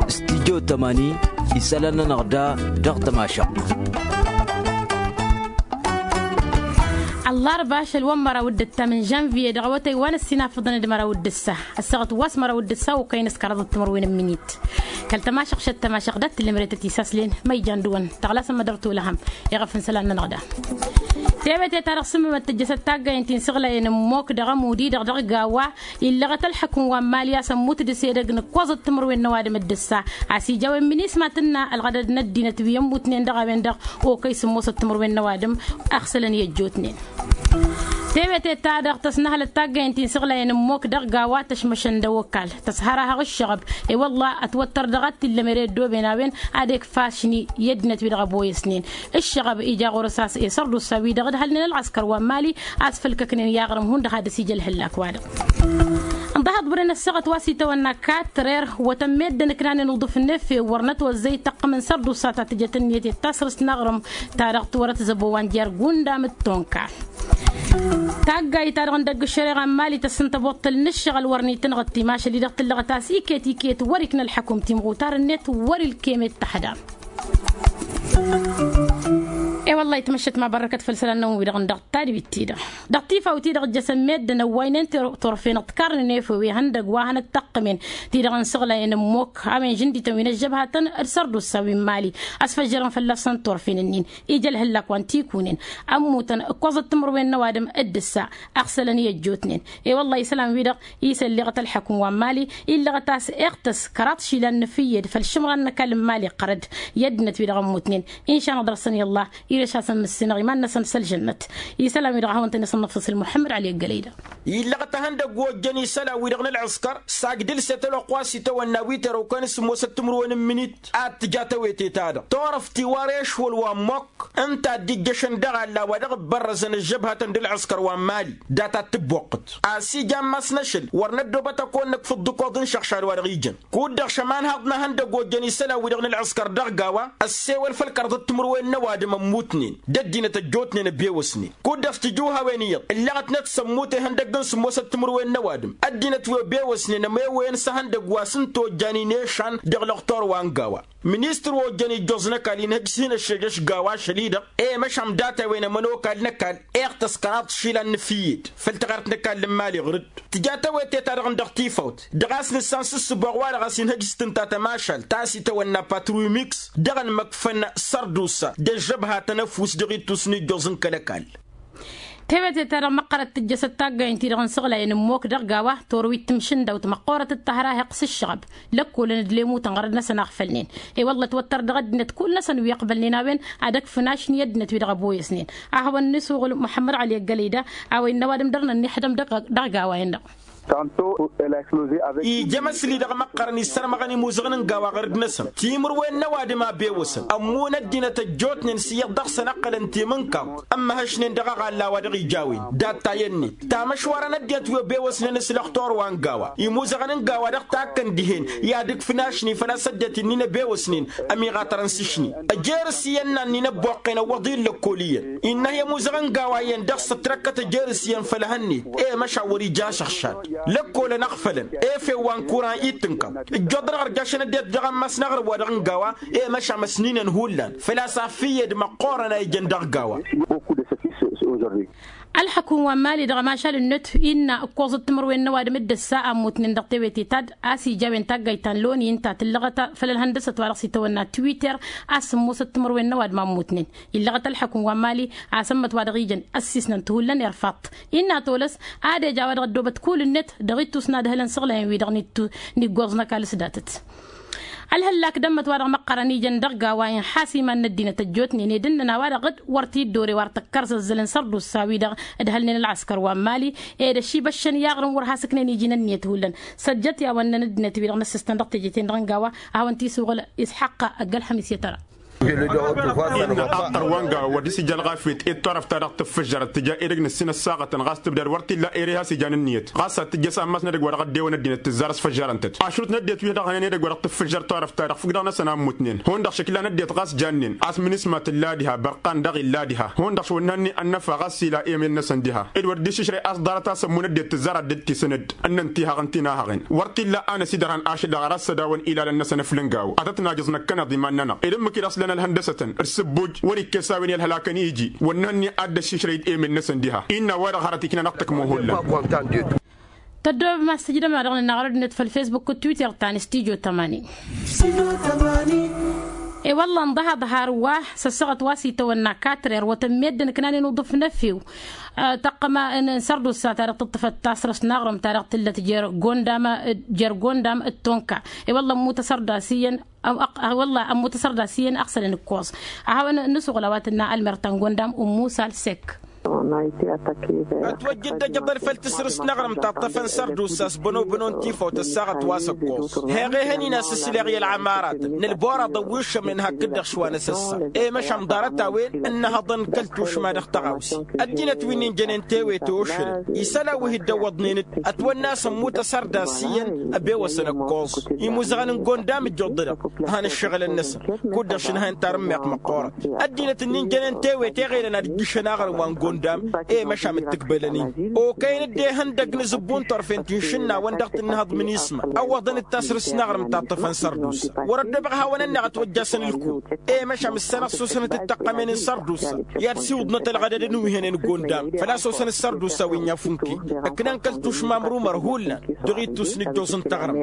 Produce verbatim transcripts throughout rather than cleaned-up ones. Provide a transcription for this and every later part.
Studyo tămani isălan-nănăɣ da dăɣ-tămašăɣt. Ăllarba ašăl wa n-măraw d-ǝttam n-žănviye dăɣ-awătay wa n-ăssinafăḍăn d-măraw d-ǝssa ăssaɣăt wa s-măraw d-ǝssa okăyăn s-kăraḍăt timǝrwen n-minit. Kăl-tămašăɣšăt tămašăɣ dat-tǝllemret ătisaslen ma ijan dăɣ-wăn tăɣlasăm mădăr tolăhăm. Iɣăf n-isălan-nănăɣ da tewete-ta-dăɣ sǝmmǝmăt tǝjjăsăt taggayăn ti n-săɣlayăn ămmok dăɣ-amud-i-dăɣ dăɣ-gawa. Illăɣăt ălḥăkǝm wa n-mali a-s ămmut d-sedăgg n-ǝkkoẓăt timǝrwen n-ăwadǝm d-ǝssa a-s ija a-wen minisma tǝnna ălɣădăd n-ăddinăt wi ămmutnen dăɣ-a-wen-dăɣ. Okăy sǝmmosăt timǝrwen n-ăwadǝm ăɣsălăn i-ăjjootnen. Tewete-ta-dăɣ tăsnăhălăt taggăyăn ti n-săɣlayăn ămmok dăɣ-gawa tăšmăšăn d-ăwăkal tăshărahăɣ ǝššăɣăb. I-wălla ătwăttăr dăɣ-ad-t-illămere ăddooben a-wen ad-ekf ašni i-ăddinăt wi dăɣ-ăboyăsnen. Ǝššăɣăb ija ɣur-s a-s esărdusa-wi-dăɣ ǝdhălnen ălɣăskăr wa n-mali a-s făll-kăknen i-aɣrǝm hundăɣ had-ăsija ălhǝllak-wa-dăɣ. Ǝnḍăhăḍ bărăn ăssaɣăt wa s-itawănna katrer wătăn meddǝn ǝknanen uḍǝf n-efew wăr nătwăzzăy tăqqǝm n-sărdusa ta tǝjăt ǝnniyăt i-tasrǝst n-aɣrǝm. Ta-dăɣ tiwărăt zăbo wa n-jer-gundam d-tonka. Taggayt-ta-dăɣ n-dăgg-ǝššăreɣa n-mali tăssǝn tăboṭṭăl n-ǝššăɣǝl wăr n-itǝnɣǝt timašăl-i-dăɣ tǝllăɣăt a-s iket iket wăr-ikna ălḥăkum timɣutar-net wăr-ilkem i-dd-taxdam. E-wălla-hi tmăššăt ma bărrăkăt făll-isălan-năwăn-wi-dăɣ n-dăɣ-tadbit-ti-dăɣ dăɣ-tifawt-i-dăɣ ǝjjăsăn meddǝn ăwwaynen torfen ăṭṭkarnen efew ihăndăgg wa hanăt-tăqqǝmen ti-dăɣ n-săɣlayăn ămmok a-wen žǝndităn wi n-ăžžăbhatăn d-sărdusa wi n-mali. Ăsfăjjărăn fălla-săn torfen-ǝnnin ija ălhăllak wa n-tikunen ămmutăn ǝkkoẓăt timǝrwen n-ăwadǝm d-ǝssa ăɣsălăn i-ăjjootnen. I-wălla-hi isălan-wi-dăɣ isălleɣăt ălḥăkum wa n-mali illăɣăt a-s iɣtăs kăraḍ išilan n-efǝyyed făll-išǝmran n-ăkall n-mali iqqărăd i-ăddinăt-wi-dăɣ ămmutnen. Inšan ad-dăr-săn i-ăllah ireš-asăn mǝssinăɣ iman-năsăn s-ălžănnăt. Isălan-wi-dăɣ a hawăn-tăn-isănnăfsǝs ălmuḥămmăd ăli ăggălăy-dăɣ. Illăɣăt ahăndăgg wa ojjăn isălan-wi-dăɣ n-ălɣǝskăr s-agdǝlset ălwăqq wa s-itawănna wi tărăwkăn s-ămoosăt timǝrwen n-imǝnit ad-tǝja tawete-ta-dăɣ turăft iwar ešwăl wa n-mokk ǝnta a dd-ijjăšăn dăɣ-alla wa dăɣ-ǝbbărrăzăn ăžžăbhatăn d-ălɣǝskăr wa n-mali dat-ad-tǝbboqqǝt a-s ija ammas n-ašăl wăr năddoobăt ad-kăwăn-nǝkf ǝḍḍǝkoḍ n-išăɣšad wa dăɣ-ijăn. Kud-dăɣ šămanhaḍ n-ahăndăgg ojjăn isălan-wi-dăɣ n-ălɣǝskăr dăɣ-gawa ăssewăl făll-kăraḍăt timǝrwen n-ăwadǝm ămmutnen d-ăddinăt ăjjootnen ăbewăsnen. Kud-dăɣ s-tǝjǝwhawen iyyăḍ ǝllăɣătnăt s-ămmut ihăndăgg n-sǝmmosăt timǝrwen n-ăwadǝm ăddinăt wi ăbewăsnen ămewăyăn s-ehăndăgg wa s-ǝnta ojjan inešan dăɣ-lăxtor wa n-gawa. Ministăr wa ojjăn ijjoẓ n-ăkall inhǝj s-hin-ăššejăš gawa ašăl-i-dăɣ i-măšan data-wen ămănokal n-ăkall iɣtăs kăraḍ išilan n-efǝyyed făll-taɣărt n-ăkall n-imali ɣǝr-dd. Tǝja tawete-ta-dăɣ n-dăɣ-tifawt dăɣ-a-s nǝssan s-ǝssǝboɣ wa-dăɣ a-s inhăj s-tǝnta tămašalt ta s-itawănna patrui mix dăɣ-ănmăkfăn sărdusa d-ăžžăbhatăn ăfuss dăɣ-ittus n-ijjoẓ n-kăl-ăkall. Tewete-ta-dăɣ măqqărăt tǝjjăsăt taggayăn-ti-dăɣ n-isăɣlayăn ǝmmok dăɣ-gawa torwit timǝšǝndawt măqqoorăt d-tahăraheɣt s-ǝššăɣăb. Lăkkolăn d-lemutăn ɣărăd-năsăn a ăɣfălnen i-wălla ătwăttăr dăɣ-ăddinăt kull-năsăn wi ăqbălnen a-wen ad-ăkfǝn ašni i-ăddinăt wi dăɣ-ăboyăsnen. A hawăn-nisuɣǝl muḥămmăd ăli ăggălăy da a-wa innă ăwadǝm dăr-nănniḥdăm dăɣ-gawa-en-dăɣ. Ija amăsli dăɣ-măqqărăn issărmăɣăn imuzăɣăn n-gawa ɣărăd-năsăn timǝrwen n-ăwadǝm a bewăsăn ămmun ăddinăt ăjjootnen s-iyyăḍ dăɣ-săn ǝqqălăn timǝnkaḍt ămmăhăšnen dăɣ-aɣalla wa dăɣ-ija a-wen. Dat-ta i-ănnet tamăšwarăn ăddinăt wi ăbewăsnen s-lăxtor wa n-gawa imuzăɣăn n-gawa dăɣ-takkăn dihen i-ad-ǝkfǝn ašni făl-a-s ăddinăt-in-in ăbewăsnen ămiɣatărăn s-ašni. Ăjerǝs iyyăn n-ad-nin-ăbboqqen ăwwăḍ-i n-lăkkol iyyăn innă i-amuzăɣ n-gawa iyyăn dăɣ-s ătrăkkăt ăjerǝs iyyăn făll-ehăn-net. I-măšan wăr-ija ašăɣšad lăkkolăn ăɣfălăn efew wa n-kuran ittǝnkaḍ ǝjjoḍ dăɣ-ărjašăn ăddinăt dăɣ-ammas n-aɣrǝm-wa-dăɣ n-gawa. I-măšan măsninăn hullan făl-a-s afǝyyed măqqoorăn a ijăn dăɣ-gawa. Ălḥăkum wa n-mali dăɣ-ămašal-net innă ǝkkoẓăt timǝrwen n-ăwadǝm d-ǝssa a ămmutnen dăɣ-tewete ta d-a-s ija a-wen taggayt ta n-loni ǝnta tǝllăɣăt făll-ălhăndăsăt wa dăɣ-s itawănna twitter. A-s sǝmmosăt timǝrwen n-ăwadǝm a ămmutnen illăɣăt ălḥăkum wa n-mali a-s ămmăt wa dăɣ-ijăn ăssiisnăn tihullan irfaḍt. Innă tolăs ad-eja wa dăɣ-ăddoobăt kull-net dăɣ-ittus n-ad-hălăn săɣlayăn-wi-dăɣ n-iggoẓ n-ăkall s-datăt. Ălhăllak d-ămmăt wa dăɣ-măqqărăn ijăn dăɣ-gawa inḥas iman n-ăddinăt ăjjootnen ed ǝnnăn a-wa-dăɣ d-wăr t-dd-ore wa ăr tăkkărzăzzălăn sărdusa-wi-dăɣ ǝdhălnen ălɣăskăr wa n-mali. Ed ăšibăššăn i-aɣrǝm wăr has-ǝknen iji n-ǝnniyăt hullan. Săjjăt i-a-wa ǝnnăn ăddinăt-wi-dăɣ n-ăssistăn dăɣ-teje-ten-dăɣ n-gawa a hawăn-t-isuɣǝl isḥăqqa ăgg-ălxămis i-tăra. Innă ăqqăr wa n-gawa wăr dăr-s ija ălɣafyăt i-dd-turăft-ta-dăɣ tǝffǝžžărăt tǝja edăgg n-ǝssin ăssaɣătăn ɣas tǝbdad wăr t-illa ere has-ijan ǝnniyăt ɣas ad-tǝjjăs ammas n-edăgg wa dăɣ-ăddewăn ăddinăt tǝzzar ăsfăžžărăn-tăt ašrut n-ăddinăt wi dăɣ-hănen edăgg wa dăɣ-tǝffǝžžăr turăft-ta-dăɣ făw-dăɣ-năsăn a ǝmmutnen hundăɣ šăkla n-ăddinăt ɣas jannen. Asmǝn isma tǝlla diha bărqan daɣ illa diha hundăɣ šwănna-ni ănnăfa ɣas ila emen-năsăn diha ed wăr dd-iššǝšrăy a-s ḍarăt a-s ămmun ăddinăt tǝzzar ad-dd-tisǝn-dd ǝnnăn tihăɣ n-tinahăɣen. Wăr t-illa a năsidărhăn ašăl dăɣ-ara s-ădawăn ilalăn-năsăn ăflǝngaw ad-tăt-najǝẓ năkkăneḍ iman-nănăɣ ed ǝmmǝk-i dăɣ-s lăn ălhăndăsătăn d-sǝbbuj wăr-ikkes a-wen i-ălhălakăn iji wănna-hănni ad-dd-ăššǝšrăy d-emen-năsăn diha. Innă a-wa-dăɣ hărăt ikna-năɣ tăkmo hullan. Tăddoobăm a-s tǝjdăm-anăɣ dăɣ-nănăɣ arădnet făll-fesbuk d-twitter ta n-stijo tămani. E-wălla ǝnḍăhăḍ har wa s-ăssaɣăt wa s-itawănna katrer wătăn meddǝn ǝknanen uḍǝf n-efew. Tăqqăma n-sărdusa ta dăɣ-tǝṭṭǝfăt tasrăst n-aɣrǝm ta dăɣ-tǝllăt jer-gondam d-tonka. E-wălla ămmut asărdas iyyăn. Wălla ămmut asărdas iyyăn aɣsălăn ǝkkoẓ. A hawăn-nǝsuɣǝl a-wa tǝnna ălmer ta n-gondam ummusal sek. Ătwăjja dd-ăjăḍăl făll-tasrǝst n-aɣrǝm ta ǝṭṭăfăn sărdusa s-bănobăno n-tifawt ăssaɣăt wa s-ǝkkoẓ. Heɣ ehăn-in a-s ǝsleɣ i-ălɣamaratăn n-ălboraḍăn wi ǝššămnen hakd-dăɣ šwa n-asăssa. I-măšan ḍarăt-a-wen ǝnnăhăḍăn kăl-tušma dăɣ-tăɣawse. Ăddinăt wi n-injănen tewete ošălăn isălan wi hi-dd-ăwwăḍnen-dd ătwănna a-s ămmut asărdas iyyăn. Ăbewăsăn ǝkkoẓ imuzăɣăn n-gondam ǝjjuḍ-dăɣ. Han ǝššăɣǝlăn-năsăn kud-dăɣ šǝnhăyăn tarǝmmeɣt măqqoorăt. Ăddinăt ǝnnin jănen tewete ɣelăn ad-ǝjjǝšăn aɣrǝm wa n-gondam i-măšam d-tǝkbălăn-in okăyăn-dd ehăndăg n-azǝbbu n-turfen ti n-išǝnnawăn dăɣ-tǝnnǝhăḍ mǝnisma. Ăwwăḍăn-dd tasrǝst n-aɣrǝm ta ǝṭṭăfăn sărdusa wăr-ăddoobăɣ hawăn-ănneɣ ătwăjjasăn ǝlkut. I-măšam ǝssanăɣ s-osănăt d-taqqămen n-sărdusa i-ad-siwǝḍnăt ălɣădăd n-wi hănen gondam făl-a-s osăn d-sărdusa wi n-i-afunke. Ǝknan kăl-tušma amrumăr hullan dăɣ-ittus n-ǝjjoẓ n-taɣrǝmt.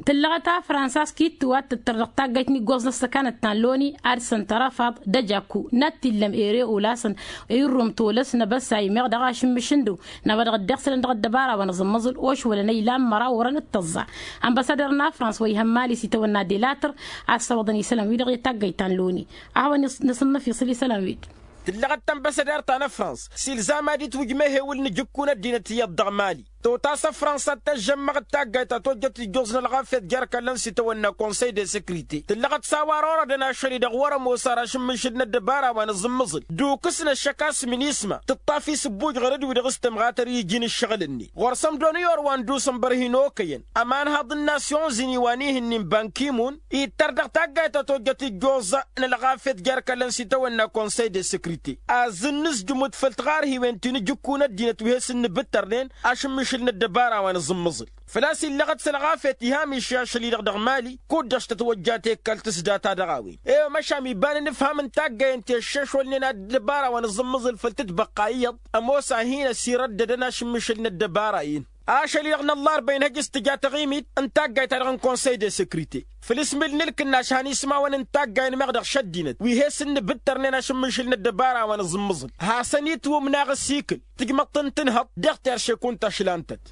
Tǝllăɣăt a frănsa s-kittǝw a t-tǝttăr dăɣ-taggayt n-iggoẓ n-ăssăkanăt ta n-loni ad-săn tărăfaḍ d-ăjaku n-ad-t-illăm ere olasăn. Irrum tolăs n-abăssay meɣ dăɣ-ašǝmmǝš n-dăw n-a-wa dăɣ-dd-iɣsǝlăn dăɣ-ăddăbara wa n-aẓǝmmăẓǝl ošwălăn ăylan măraw orăn d-tăẓẓa. Ănbăssadăr n-afrăns wa ihăn mali s-itawănna delatăr a ăssăwăḍăn isălan-wi-dăɣ i-taggayt ta n-loni. A hawăn-năsǝnnăf iṣǝl isălan-wi-dăɣ. Tǝllăɣăt tănbăssadăr ta n-afrăns s-ilzam ad-itwǝj mehewǝl n-ajǝkku n-ăddinăt iyyăḍ dăɣ-mali. Tăwt'-as afrăns ad-tăžžămmăɣ d-taggayt ta tojjăt ijjuẓ n-ălɣafyăt jer-kăllăn s-itawănna konsăy de săkrite tǝllăɣăt s-a-wa ărorădăn ašăl-i-dăɣ wăr-ămoos ar ašǝmmǝšǝd n-ăddăbara wa n-aẓǝmmǝẓǝl d-ukǝs n-ăššăk a-s minisma tǝṭṭaf isǝbbuj ɣărăd-wi-dăɣ s-tǝmɣatăr i-iji n-ǝššăɣǝl-net ɣur-săm doniyor wa n-dusǝnbăr hin-okăyăn ămanhaḍ n-nasyon zini wa n-ihǝnnin bankimun ittăr dăɣ-taggayt ta tojjăt ijjuẓ n-ălɣafyăt jer-kăllăn s-itawănna konsăy de săkrite azǝnnǝzjǝm-dd făll-tiɣarhiwen ti n-ajǝkku n-ăddinăt wi he-sǝnnǝbǝttărnen ašǝmmǝšǝl n-ăddăbara wa n-aẓǝmmǝẓǝl. Făl-a-s illăɣăt s-ălɣafyăt ihamiš i-ašăl-i-dăɣ dăɣ-mali kud-dăɣ s-tătwăjja tekkălt s-data dăɣ-a-wen. I-măšam iba n-inǝfham n-taggayăn ti ăššešwălnen ad-ăddăbara wa n-aẓǝmmǝẓǝl făll-tǝtbăqqa iyyăḍ ămoos a hin-ăsirăddădăn ašǝmmǝšǝl n-ăddăbara-in. Ašăl-i-dăɣ n-ăllarba inhăj s-tǝja taɣimit n-taggayt-ta-dăɣ n-konsăy de săkrite făll-asmǝl n-ǝlkǝnnaš han ismawăn n-taggayen meɣ dăɣ-šăddinăt wi he-sǝnnǝbǝttărnen ašǝmmǝšǝl n-ăddăbara wa n-aẓǝmmǝẓǝl. Hasăn-itwǝmnaɣ ăsikǝl tǝjmăḍt n-tǝnhăḍt dăɣ-terše kunta ašlan-tăt.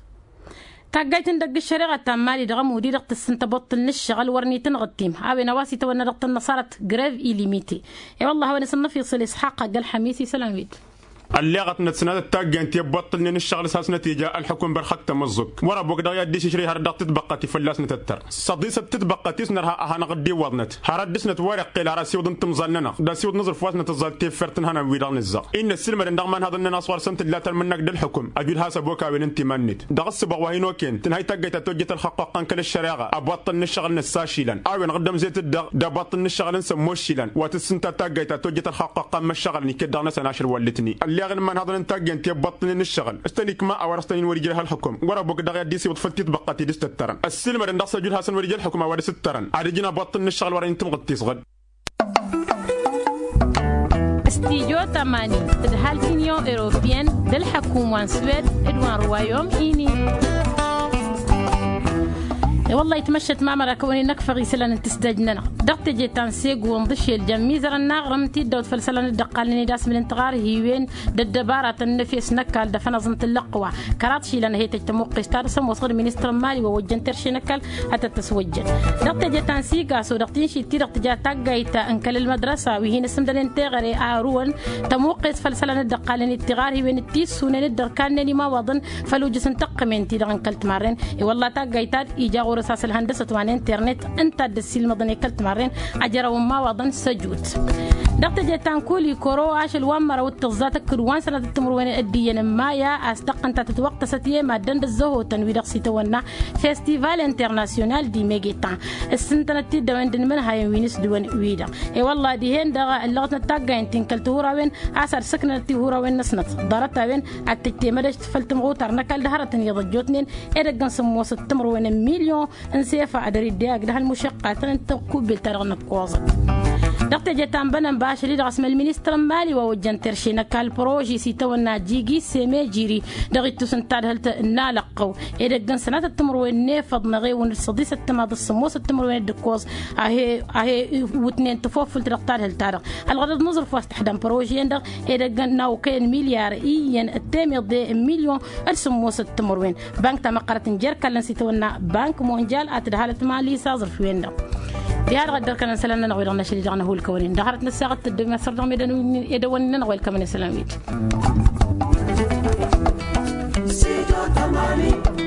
Taggayt n-dăgg-ăššăreɣa ta n-mali dăɣ-ămudi dăɣ-tǝssǝn tăboṭṭǝl n-ǝššăɣǝl wăr n-itǝnɣǝttim a-wen a-wa s-itawănna dăɣ-tănnăṣarăt grev ilimite. I-wălla a hawăn-isǝnnăf iṣǝl isxaqq agg-ălxămis isălan-wi-dd. Ălleɣătnăt s-nătăt taggayăn ti ăbboṭṭǝlnen ǝššăɣǝl s-hasnăt ija ălxukǝm băr xăttăm ǝẓẓuk wăr-ăbok dăɣ-i ad-dd-išǝšrǝy hărăt dăɣ-tǝtbăqqăt i-fălla-s nătăttăr. S-ăḍisăt tǝtbăqqăt-i s-nărha ad-hanăɣ-dd-iwwăḍnăt har ad-dăr-snăt wăr-iqqel har asiwǝḍ n-timẓal-nănăɣ d-asiwǝḍ n-aẓrǝf wa s-nătăẓẓal teffert n-hănan-wi-dăɣ nǝzzăɣ. Innă ăssiilmădăn dăɣ-imanhaḍăn-nănăɣ s-wăr săn tǝlla talmǝnnakt d-ălxukǝm ăjud has-ăbok a-wen ǝnta iman-net. Dăɣ-ǝssǝbaɣ wa hin-okăyăn tǝnhăy taggayt ta tojjăt ălxăqqoqqăn kăl-ăššăreɣa ăbboṭṭăl n-ǝššăɣǝl n-ăssasilan a-wen ɣǝddăm zetăt-dăɣ d-ăbboṭṭăl n-ǝššăɣǝl n-sămmoššilan wa tǝssǝnta taggayt ta tojjăt ălxăqqoqqăn măššăɣǝlăn iket dăɣ-năsăn ašăl wăllǝtnen. Ălleɣ inǝmmanhaḍăn n-taggayăn ti ăbboṭṭălnen ǝššăɣǝl s-tăn-ikma a-wa dăɣ-s tăn-in-wăr-ija ălxukǝm wăr-ăbok dăɣ-i ad-dd-isiwǝḍ făll-titbăqqăt i-dăɣ s-tăttărăn ăssiilmădăn dăɣ-s ăjud hasăn-wăr-ija ălxukǝm a-wa dăɣ-s ǝttărăn ad-ǝjǝn ăbboṭṭăl n-ǝššăɣǝl wăr-ănitǝmɣǝd tisɣǝd. Stijo tămani tǝdhal tinyon europiyăn d-ălḥăkum wa n-swed d-wa n-ruwayom-ini. I-wălla-hi tmăššăt mamăra kăwăn-in-năkfăɣ isălan n-tǝsdăj-nănăɣ dăɣ-teje ta n-segu ǝnḍǝšel jăn imizărăn n-aɣrǝm ti dd-ăwwăḍ făll-isălan dd-ăqqalnen i-dasmǝl n-tiɣarhiwen d-ăddăbara tănnăfes n-ăkall d-afănăẓ n-tǝllăqqǝwa. Kăraḍ išilan a he-tăj tămuqqes-ta-dăɣ s-ămoosăɣ d-ministăr n-mali wa ojjăn terše n-ăkall ad-tăt-tăswăjjăn. Dăɣ-teje ta n-sigaso dăɣ-tinšit-ti-dăɣ tǝja taggayt n-kăl-ălmădrăsa wi hin-ǝssǝmdănen teɣăre a ărǝwăn tămuqqes făll-isălan dd-ăqqalnen d-tiɣarhiwen d-tissunen dd-ărkannen imawaḍăn făll-ujǝs n-tăqqǝmen-ti-dăɣ n-kăl-timarren. I-wălla taggayt-ta-dd ija ɣur-s a-s ălhăndăsăt wa n-internet ǝnta a dd-ăssiilmăḍăn i-kăl-timarren. Ajărăw n-imawaḍăn s-ăjut dăɣ-teje ta n-kuli kăro ašăl wa n-măraw d-tǝẓẓa tăkkǝd wa n-sănatăt timǝrwen ăddiyăn n-maya a-s tăqqăn ta tǝtwăqtăsăt i-maddăn d-ăzzăhotăn wi-dăɣ s-itawănna festival internasyonal di megetan. Ǝssǝntănăt-dd a-wen d-inmǝnhayăn wi n-s-dăwăn wi-dăɣ. E-wălla dihen-dăɣ ǝllăɣătnăt taggayen ti n-kăl-tihurawen a-s ad-sǝknănăt tihurawen-năsnăt ḍarăt-a-wen ad-tǝjtemădăš făll-tǝmɣutar n-ăkall d-hărătăn iyyăḍ ăjjootnen edăgg n-sǝmmosăt timǝrwen n-milyon n-sefăa dăr-idde agg d-hal mušăqqatăn n-tăkkubbelt-ta-dăɣ n-ǝkkoẓăt. Dăɣ-teje ta n-bănănba ašăl-i-dăɣ a-s măl ministăr n-mali wa ojjăn terše n-ăkall proži s-itawănna jigi semejiri dăɣ-ittus n-tadhǝlt n-alăqqăw edăgg n-sănatăt timǝrwen n-efăḍ n-eɣewăn d-săḍisăt timaḍ d-sǝmmosăt timǝrwen d-ǝkkoẓ a he-iwǝtnen tăfofǝlt dăɣ-tadhǝlt-ta-dăɣ. Ălɣădăḍ n-aẓrǝf wa s-tăḥdăm prožen-dăɣ edăgg n-a okăyăn milyar iyyăn d-temiḍe n-milyon d-sǝmmosăt timǝrwen. Bank ta măqqărăt n-jer-ikallăn s-itawănna bank monjal a tǝdhalăt mali s-aẓrǝf-wen-dăɣ. Diha-dăɣ dd-ărkănăn isălan-nănăɣ wi-dăɣ n-ašăl-i-dăɣ n-ahulkăwăn-in dăɣ-hărăt n-ăssaɣăt tăddom i-ad-săr dăɣ-medăn edăwănnin-nănăɣ welkămăn isălan-wi-dăɣ.